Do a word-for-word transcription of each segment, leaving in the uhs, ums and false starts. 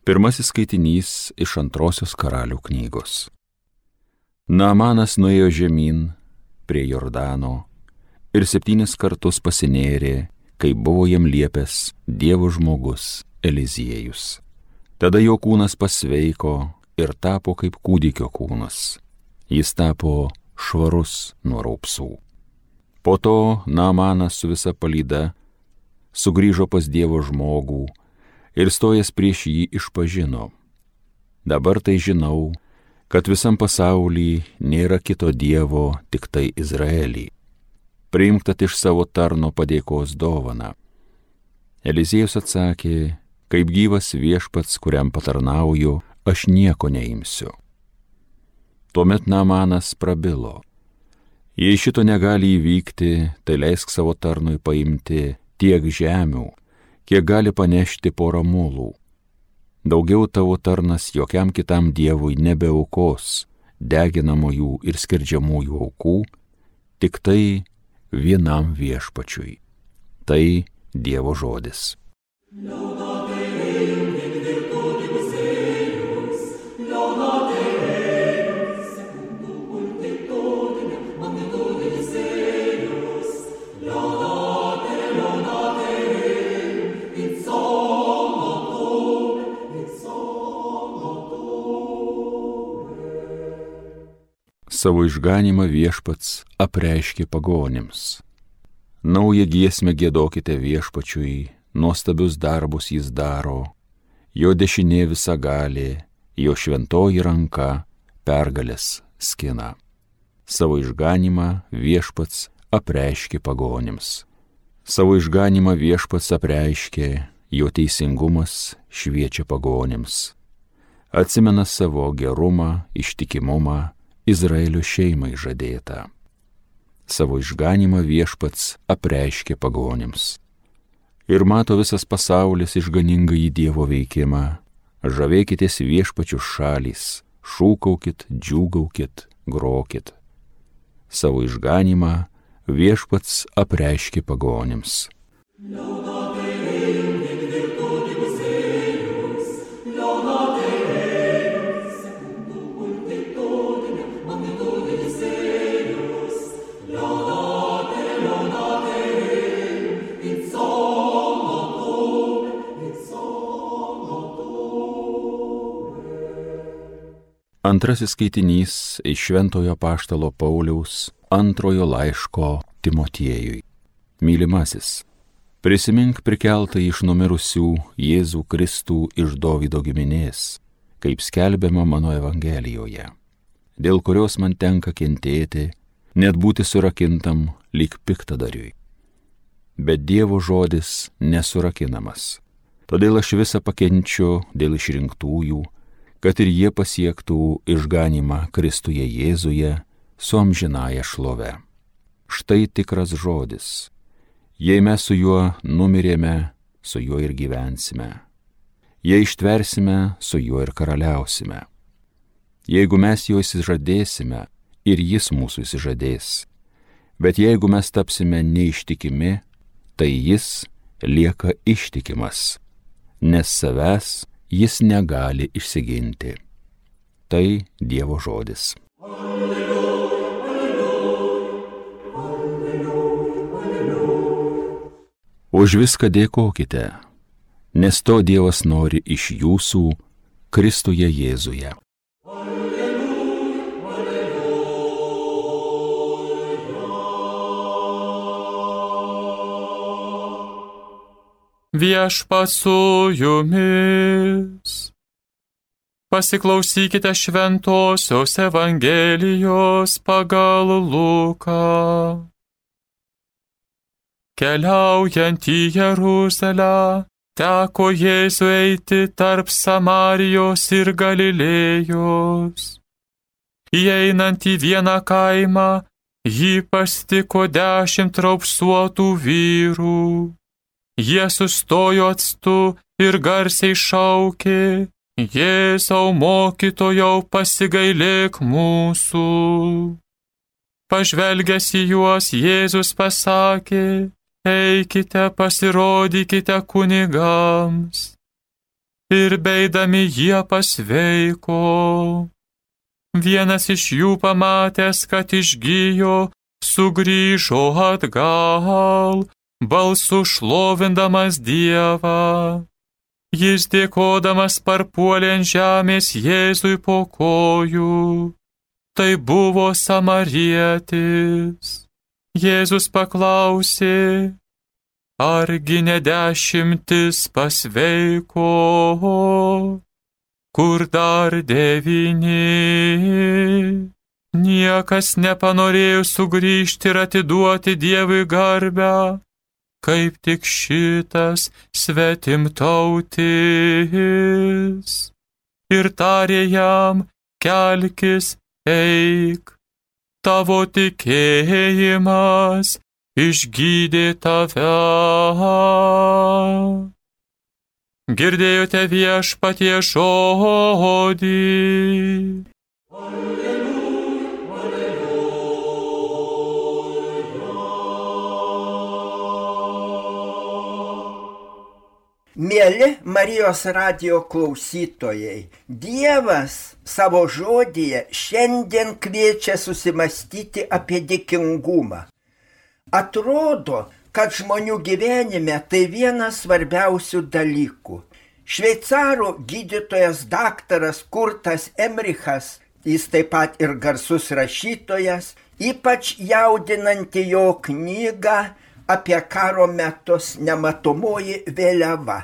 Pirmasis skaitinys iš antrosios Karalių knygos. Naamanas nuėjo žemyn prie Jordano ir septynis kartus pasinėrė, kaip buvo jam liepęs Dievo žmogus Eliziejus. Tada jo kūnas pasveiko ir tapo kaip kūdikio kūnas. Jis tapo švarus nuo raupsų. Po to Naamanas su visa palyda sugrįžo pas Dievo žmogų ir stojęs prieš jį išpažino: dabar tai žinau, kad visam pasauly nėra kito Dievo, tik tai Izraelį. Priimk tad iš savo tarno padėkos dovaną. Eliziejus atsakė: kaip gyvas viešpats, kuriam patarnauju, aš nieko neimsiu. Tuomet Naamanas prabilo: jei šito negali įvykti, tai leisk savo tarnui paimti tiek žemių, kiek gali panešti porą mulų. Daugiau tavo tarnas jokiam kitam dievui nebeaukos deginamųjų ir skerdžiamųjų aukų, tik tai vienam viešpačiui. Tai Dievo žodis. Savo išganymą viešpats apreiškė pagonims. Naują giesmę giedokite viešpačiui, nuostabius darbus jis daro, jo dešinė visagalė, jo šventoji ranka pergalės skina. Savo išganymą viešpats apreiškė pagonims. Savo išganymą viešpats apreiškė, jo teisingumas šviečia pagonims. Atsimena savo gerumą, ištikimumą, Izraelio šeimai žadėta. Savo išganymą viešpats apreiškė pagonims. Ir mato visas pasaulis išganingąjį Dievo veikimą. Žavėkitės viešpačių šalys, šūkaukit, džiūgaukit, grokit. Savo išganymą viešpats apreiškė pagonims. Antrasis skaitinys iš Šventojo Apaštalo Pauliaus antrojo laiško Timotiejui. Mylimasis, prisimink prikeltą iš numirusių Jėzų Kristų iš Dovydo giminės, kaip skelbiama mano Evangelijoje, dėl kurios man tenka kentėti, net būti surakintam lyg piktadariui. Bet Dievo žodis nesurakinamas. Todėl aš visą pakenčiu dėl išrinktųjų, kad ir jie pasiektų išganymą Kristuje Jėzuje su amžinąja šlove. Štai tikras žodis. Jei mes su juo numirėme, su juo ir gyvensime. Jei ištversime, su juo ir karaliausime. Jeigu mes jo įsižadėsime, ir jis mūsų įsižadės. Bet jeigu mes tapsime neištikimi, tai jis lieka ištikimas, nes savęs jis negali išsiginti. Tai Dievo žodis. Alleluja, alleluja, alleluja, alleluja. Už viską dėkokite, nes to Dievas nori iš jūsų Kristuje Jėzuje. Viešpats su jumis. Pasiklausykite šventosios Evangelijos pagal Luką. Keliaujant į Jeruzalę, teko Jėzui eiti tarp Samarijos ir Galilėjos. Įeinant į vieną kaimą, jį pastiko dešimt raupsuotų vyrų. Jie sustojo atstu ir garsiai šaukė: Jėzau mokytojau, pasigailėk mūsų. Pažvelgęs į juos, Jėzus pasakė: eikite, pasirodykite kunigams. ir beidami jie pasveiko. Vienas iš jų pamatęs, kad išgijo, sugrįžo atgal, balsu šlovindamas Dievą. Jis dėkodamas parpuolė ant žemės Jėzui po kojų. Tai buvo samarietis. Jėzus paklausė, argi ne dešimtis pasveiko, kur dar devyni? Niekas nepanorėjo sugrįžti ir atiduoti Dievui garbę, kaip tik šitas svetimtautis. Ir tarė jam, kelkis, eik, tavo tikėjimas išgydė tave. Girdėjote Viešpaties žodį. Mieli Marijos radijo klausytojai, Dievas savo žodyje šiandien kviečia susimastyti apie dėkingumą. Atrodo, kad žmonių gyvenime tai vienas svarbiausių dalykų. Šveicarų gydytojas daktaras Kurtas Emrichas, jis taip pat ir garsus rašytojas, ypač jaudinanti jo knygą apie karo metus Nematomoji vėliava.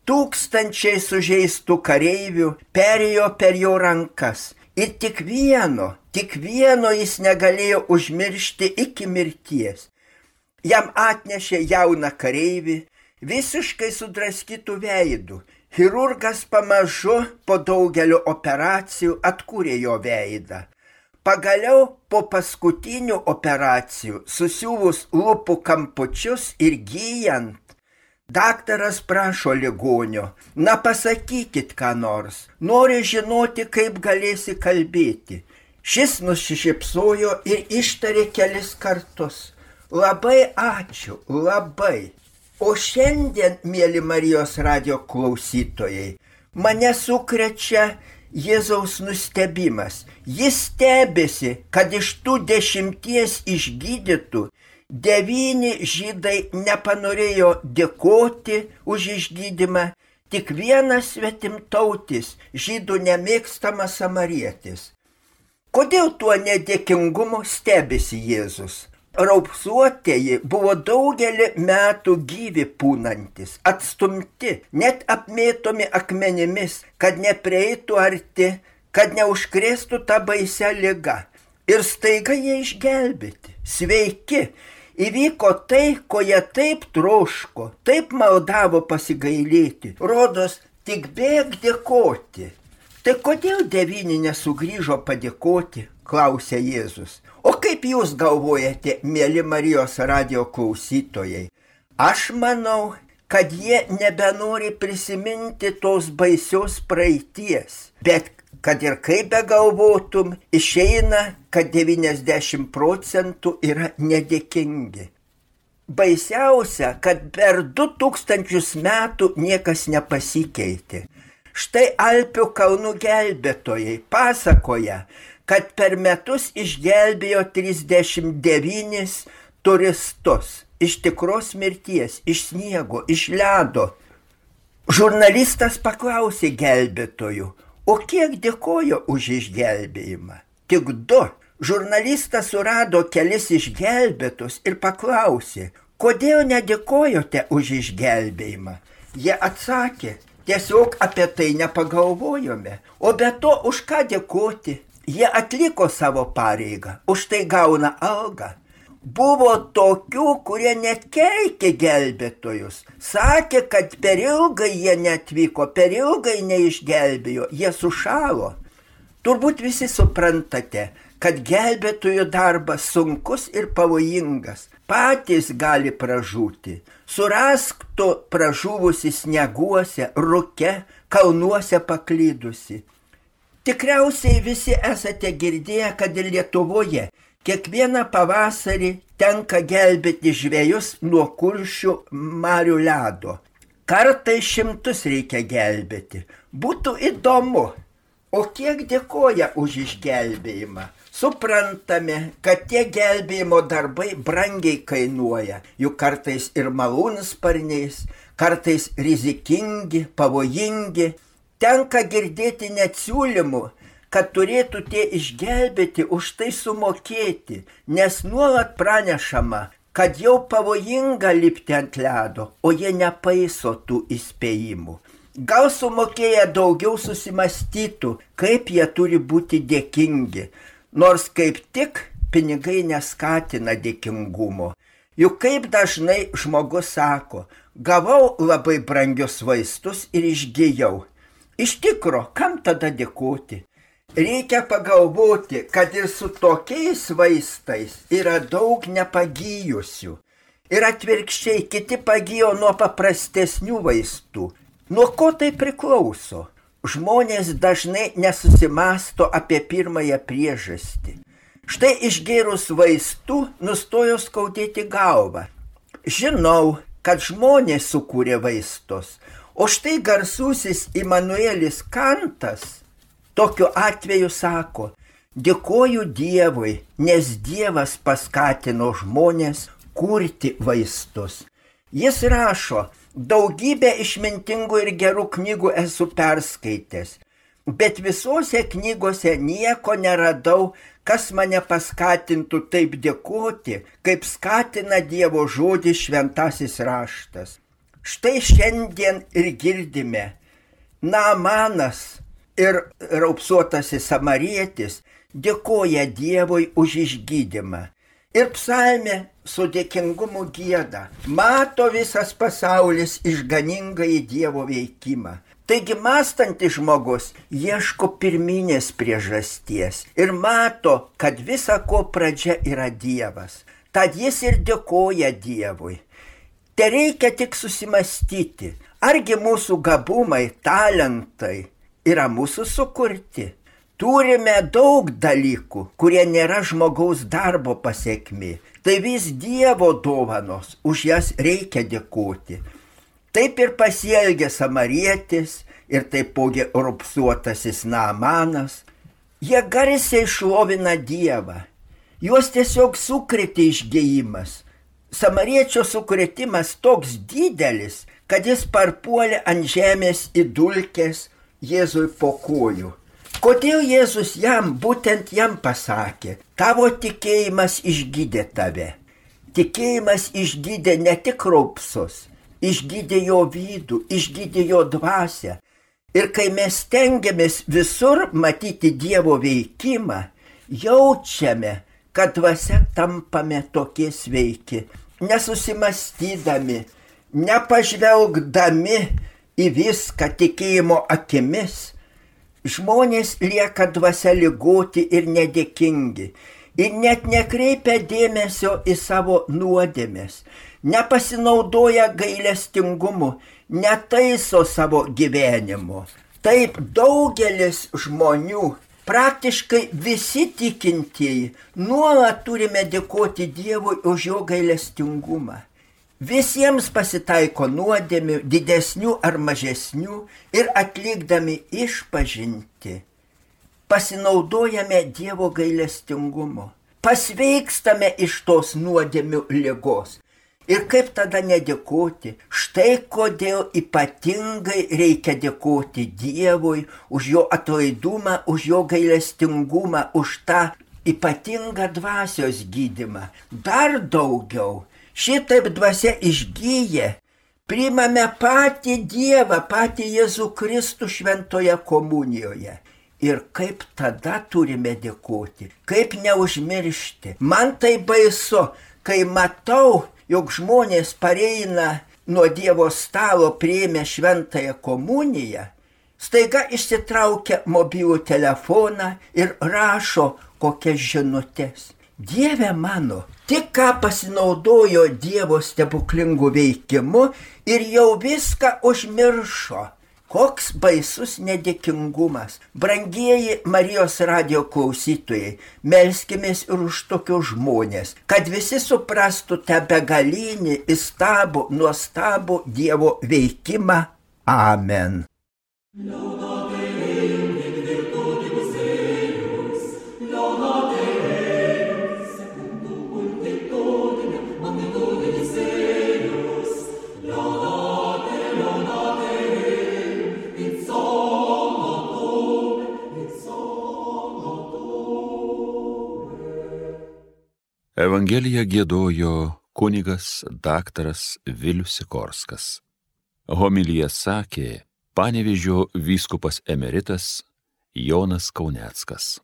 Tūkstančiai sužeistų kareivių perėjo per jo rankas ir tik vieno, tik vieno jis negalėjo užmiršti iki mirties. Jam atnešė jauną kareivį, visiškai sudraskytų veidų. Chirurgas pamažu po daugelio operacijų atkūrė jo veidą. Pagaliau po paskutinių operacijų, susiuvus lūpų kampučius ir gyjant, daktaras prašo ligonio, na pasakykit ką nors, nori žinoti, kaip galėsi kalbėti. Šis nusišypsojo ir ištarė kelis kartus. Labai ačiū, labai. O šiandien, mieli Marijos radijo klausytojai, mane sukrečia Jėzaus nustebimas. Jis stebėsi, kad iš tų dešimties išgydytų devyni žydai nepanorėjo dėkoti už išgydymą, tik vienas svetimtautis, žydų nemėgstamas samarietis. Kodėl tuo nedėkingumu stebėsi Jėzus? Raupsuotieji buvo daugelį metų gyvi pūnantis, atstumti, net apmėtomi akmenimis, kad neprieitų arti, kad neužkrėstų tą baisią ligą. Ir staiga jie išgelbėti, sveiki. Įvyko tai, ko jie taip troško, taip maldavo pasigailėti. Rodos, tik bėk dėkoti. Tai kodėl devyni nesugrįžo padėkoti, klausė Jėzus. O kaip jūs galvojate, mieli Marijos radijo klausytojai? Aš manau, kad jie nebenori prisiminti tos baisios praeities. Bet kad ir kaip begalvotum, išeina, kad devyniasdešimt procentų yra nedėkingi. Baisiausia, kad per du tūkstančius metų niekas nepasikeitė. Štai Alpių kalnų gelbėtojai pasakoja, kad per metus išgelbėjo trisdešimt devynis turistus iš tikros mirties, iš sniego, iš ledo. Žurnalistas paklausė gelbėtojų, o kiek dėkojo už išgelbėjimą? Tik du. Žurnalistas surado kelis išgelbėtus ir paklausė, kodėl nedėkojote už išgelbėjimą? Jie atsakė, tiesiog apie tai nepagalvojome, o be to už ką dėkoti? Jie atliko savo pareigą, už tai gauna algą. Buvo tokių, kurie net keikė gelbėtojus. Sakė, kad per ilgai jie neatvyko, per ilgai neišgelbėjo, jie sušalo. Turbūt visi suprantate, kad gelbėtojų darbas sunkus ir pavojingas. Patys gali pražūti. Surask tu pražuvusi snieguose, rūke, kalnuose paklydusi. Tikriausiai visi esate girdėję, kad ir Lietuvoje kiekvieną pavasarį tenka gelbėti žvejus nuo kuršių marių ledo. kartais šimtus reikia gelbėti. Būtų įdomu, o kiek dėkoja už išgelbėjimą. Suprantame, kad tie gelbėjimo darbai brangiai kainuoja, juk kartais ir malūnsparniais, kartais rizikingi, pavojingi. Tenka girdėti net siūlymų, kad turėtų tie išgelbėti už tai sumokėti, nes nuolat pranešama, kad jau pavojinga lipti ant ledo, o jie nepaiso tų įspėjimų. Gal sumokėję daugiau susimastytų, kaip jie turi būti dėkingi, nors kaip tik pinigai neskatina dėkingumo. Juk kaip dažnai žmogus sako, gavau labai brangius vaistus ir išgijau. Iš tikro, kam tada dėkoti? Reikia pagalvoti, kad ir su tokiais vaistais yra daug nepagyjusių. Ir atvirkščiai kiti pagijo nuo paprastesnių vaistų. Nuo ko tai priklauso? Žmonės dažnai nesusimasto apie pirmąją priežastį. Štai išgėrus vaistų nustojo skaudėti galvą. Žinau, kad žmonės sukūrė vaistus, o štai garsusis Imanuelis Kantas tokiu atveju sako, dėkoju Dievui, nes Dievas paskatino žmonės kurti vaistus. Jis rašo, daugybę išmintingų ir gerų knygų esu perskaitęs, bet visose knygose nieko neradau, kas mane paskatintų taip dėkoti, kaip skatina Dievo žodis šventasis raštas. Štai šiandien ir girdime, Naamanas ir raupsuotasis samarietis dėkoja Dievui už išgydymą. Ir psalmė su dėkingumu gieda, mato visas pasaulis išganingai Dievo veikimą. Taigi mąstantis žmogus ieško pirminės priežasties ir mato, kad visa ko pradžia yra Dievas. Tad jis ir dėkoja Dievui. Te reikia tik susimastyti, argi mūsų gabumai, talentai yra mūsų sukurti. Turime daug dalykų, kurie nėra žmogaus darbo pasekmė. Tai vis Dievo dovanos, už jas reikia dėkoti. Taip ir pasielgė samarietis ir taipogi raupsuotasis Naamanas. Jie garsiai šlovina Dievą. Juos tiesiog sukrėtė išgėjimas. Samariečio sukrėtimas toks didelis, kad jis parpuolė ant žemės į dulkes Jėzui po kojų. Kodėl Jėzus jam, būtent jam pasakė, tavo tikėjimas išgydė tave. Tikėjimas išgydė ne tik raupsus, išgydė jo vidų, išgydė jo dvasią. Ir kai mes stengiamės visur matyti Dievo veikimą, jaučiame, kad dvasia tampame tokie sveiki, nesusimastydami, nepažvelgdami į viską tikėjimo akimis. Žmonės lieka dvasia ligoti ir nedėkingi ir net nekreipia dėmesio į savo nuodėmes, nepasinaudoja gailestingumu, netaiso savo gyvenimo. Taip daugelis žmonių, praktiškai visi tikintieji, nuolat turime dėkoti Dievui už jo gailestingumą. Visiems pasitaiko nuodėmių, didesnių ar mažesnių, ir atlikdami išpažinti, pasinaudojame Dievo gailestingumu, pasveikstame iš tos nuodėmių ligos. Ir kaip tada nedėkoti? Štai kodėl ypatingai reikia dėkoti Dievui už jo atlaidumą, už jo gailestingumą, už tą ypatingą dvasios gydymą. Dar daugiau. Šitaip dvasia išgyja, priimame patį Dievą, patį Jėzų Kristų šventoje komunijoje. Ir kaip tada turime dėkoti, kaip neužmiršti. Man tai baisu, kai matau, jog žmonės pareina nuo Dievo stalo priėmę šventąją komuniją, staiga išsitraukia mobilų telefoną ir rašo kokias žinutes. Dieve mano, tik ką pasinaudojo Dievo stebuklingų veikimu ir jau viską užmiršo. Koks baisus nedėkingumas. Brangieji Marijos radijo klausytojai, melskimės ir už tokius žmonės, kad visi suprastų tą begalinį, įstabų, nuostabų Dievo veikimą. Amen. Evangeliją giedojo kunigas daktaras Vilius Sikorskas. Homiliją sakė Panevėžio vyskupas emeritas Jonas Kauneckas.